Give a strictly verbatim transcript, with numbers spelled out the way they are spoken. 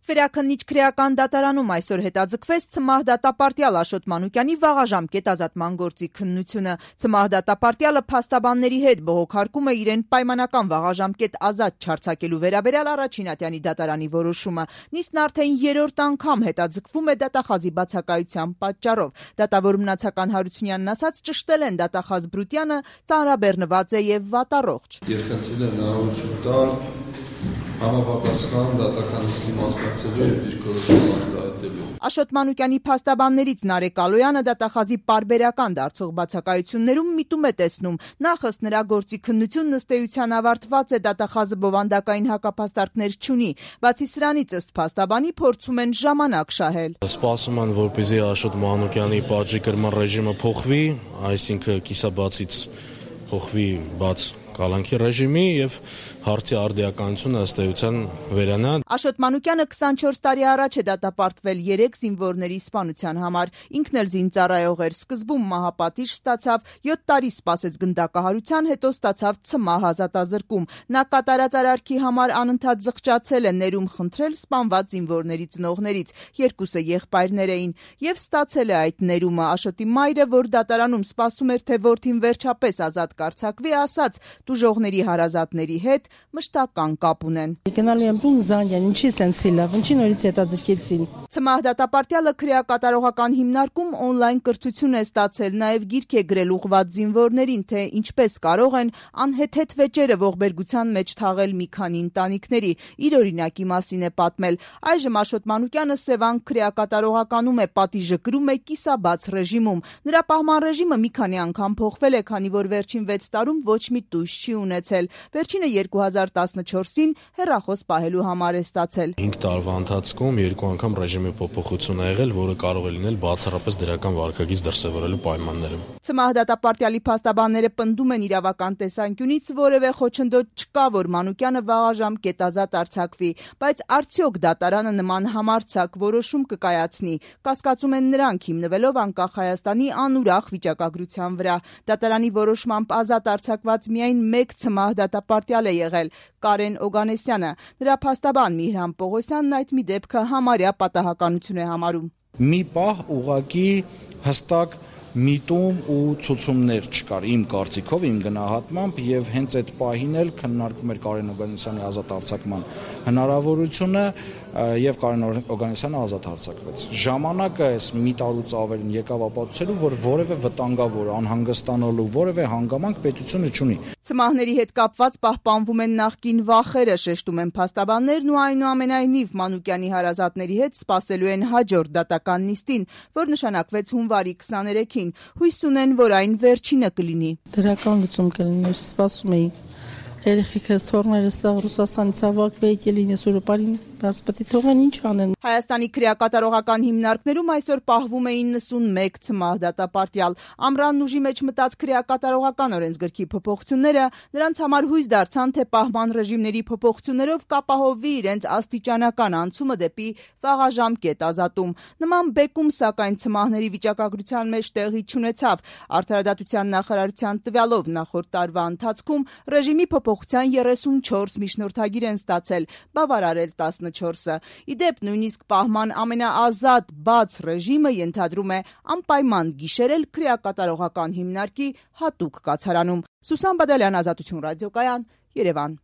Վերաքննիչ քրեական դատարանում այսօր հետաձգվեց Ցմահ դատապարտյալ Աշոտ Մանուկյանի վաղաժամկետ ազատման գործի քննությունը։ Ցմահ դատապարտյալը փաստաբանների հետ բողոքարկում է իրեն պայմանական վաղաժամկետ ազատ չարձակելու վերաբերյալ Առաջին ատյանի դատարանի որոշումը։ Նիստն արդեն երրորդ անգամ հետաձգվում է դատախազի բացակայության պատճառով։ Դատավոր Մնացական Հարությունյանն ասաց, ճշտել են դատախազ Բրուտյանը, ծանրաբեռնված է եւ վատառողջ։ Երկխնդրել են հնարավորություն տալ համապատասխան դատական նիստի մասնակցելու եւ դիրքորոշում արտահայտելու։ Աշոտ Մանուկյանի փաստաբաններից Նարեկ Ալոյանը դատախազի պարբերական դարձող բացակայություններում միտում է տեսնում։ Նախ ըստ նրա գործի քննությունն ըստ էության ավարտված է, դատախազը բովանդակային հակափաստարկներ չունի։ Բացի սրանից ըստ փաստաբանի փորձում են ժամանակ շահել։ Սպասում են, որպեսզի Աշոտ Մանուկյանի պատժի կրման ռեժիմը փոխվի, այսինքն կիսաբացից փոխվի բաց կալանքի ռեժիմի եւ հարցի արդիականությունը ըստ էության վերանա։ Աշոտ Մանուկյանը քսանչորս տարի առաջ է դատապարտվել երեք զինվորների սպանության համար։ Ինքն էլ զինծառայող էր, սկզբում մահապատիժ ստացավ, յոթ տարի սպասեց գնդակահարության, հետո ստացավ Ցմահ ազատազրկում։ Նա կատարած արարքի համար անընդհատ զղջացել է, ներում խնդրել սպանված զինվորների ծնողներից, երկուսը եղբայրներ էին, եւ ստացել է այդ ներումը։ Աշոտի մայրը, որ դատարանում սպասում էր, թե որդին վերջապես ազատ կարձակվի, ասաց, տուժողների հարազատների հետ մշտական կապ ունեն։ Գնալու եմ տուն զանգեն, ինչի սենցի լավ, ինչի նորից հետաձգեցին։ Ցմահ դատապարտյալը քրեակատարողական հիմնարկում օնլայն կրթություն է ստացել, նաև գիրք է գրել ուղղված զինվորներին, թե ինչպես կարող են անհեթեթ վեճերը ողբերգության մեջ թաղել մի քանի ընտանիքների։ Իր օրինակի մասին է պատմել։ Այժմ Աշոտ Մանուկյանը Սևան քրեակատարողականում է, պատիժը կրում է կիսաբաց ռեժիմում։ Նրա պահման ռեժիմը մի քանի անգամ փոխվել է, քանի որ վերջին վեց տարում ոչ մի տույժ չի ունեցել։ Վերջինը երկու հազար տասնչորսին հեռախոս պահելու համար է ստացել։ հինգ տարվա ընթացքում երկու անգամ ռեժիմի փոփոխություն ա եղել, որը կարող է լինել բացառապես դրական վարքագիծ դրսևորելու պայմաններում։ Ցմահ դատապարտյալի փաստաբանները պնդում են իրավական տեսանկյունից որևէ խոչընդոտ չկա, որ Մանուկյանը վաղաժամկետ ազատ արձակվի, բայց արդյոք դատարանը նման համարձակ որոշում կկայացնի։ Կասկածում են նրանք, հիմնվելով անկախ Հայաստանի անուրախ վիճակագրության վրա։ Դատարանի որոշմամբ ազատ արձակված միայն մեկ Ցմահ դատապարտյալ է եղել՝ Կարեն Օգանեսյանը։ Նրա փաստաբան Միհրան Պողոսյանն այդ մի դեպքը համարյա պատահականություն է համարում։ Մի պահ ուղղակի հստակ միտում ու ցուցումներ չկար իմ կարծիքով, իմ գնահատմամբ, եւ հենց այդ պահին էլ քննարկվում էր Կարեն Օգանեսյանի ազատ արձակման հնարավորությունը եւ Կարեն Օգանեսյանը ազատ արձակվեց։ Ժամանակը այս մի տարուց ավելին եկավ ապացուցելու, որ որևէ վտանգավոր, անհանգստանալու որևէ հանգամանք պետությունը չունի։ Ցմահների հետ կապված պահպանվում են նախկին վախերը, շեշտում են փաստաբաններն ու այնուամենայնիվ Մանուկյանի հարազատների հետ սպասելու են հաջորդ դատական նիստին, որ նշանակվեց հունվարի քսաներեքին։ Հույս ունեն, որ այն վերջինը կլինի։ Դրական լուծում կլիներ, սպասում էինք։ Երեխեքս թորներս սա Ռուսաստանից ավակվեի կելինես Եվրոպային, բայց պետք է թողեն ինչ անեն։ Հայաստանի քրեակատարողական հիմնարկներում այսօր պահվում էին նսունմեկ Ցմահ դատապարտյալ։ Ամռանն ուժի մեջ մտած քրեակատարողական օրենսգրքի փոփոխությունները նրանց համար հույս դարձան, թե պահման ռեժիմների փոփոխություններով կապահովվի իրենց աստիճանական անցումը դեպի վաղաժամկետ ազատում։ Նման բեկում, սակայն Ցմահների վիճակագրության մեջ տեղի չունեցավ։ Արդարադատության նախարարության տվյալով նախորդ տարվա ընթացքում ռեժիմի փոփոխության երեսունչորս միջնորդագիր են ստացել, բավարարել տասնչորսը։ Իդեպ նույնիսկ պահման ամենաազատ բաց ռեժիմը ենթադրում է անպայման գիշերել քրեակատարողական հիմնարկի հատուկ կացարանում։ Սուսան Բադալյան, Ազատություն ռադիոկայան, Երևան։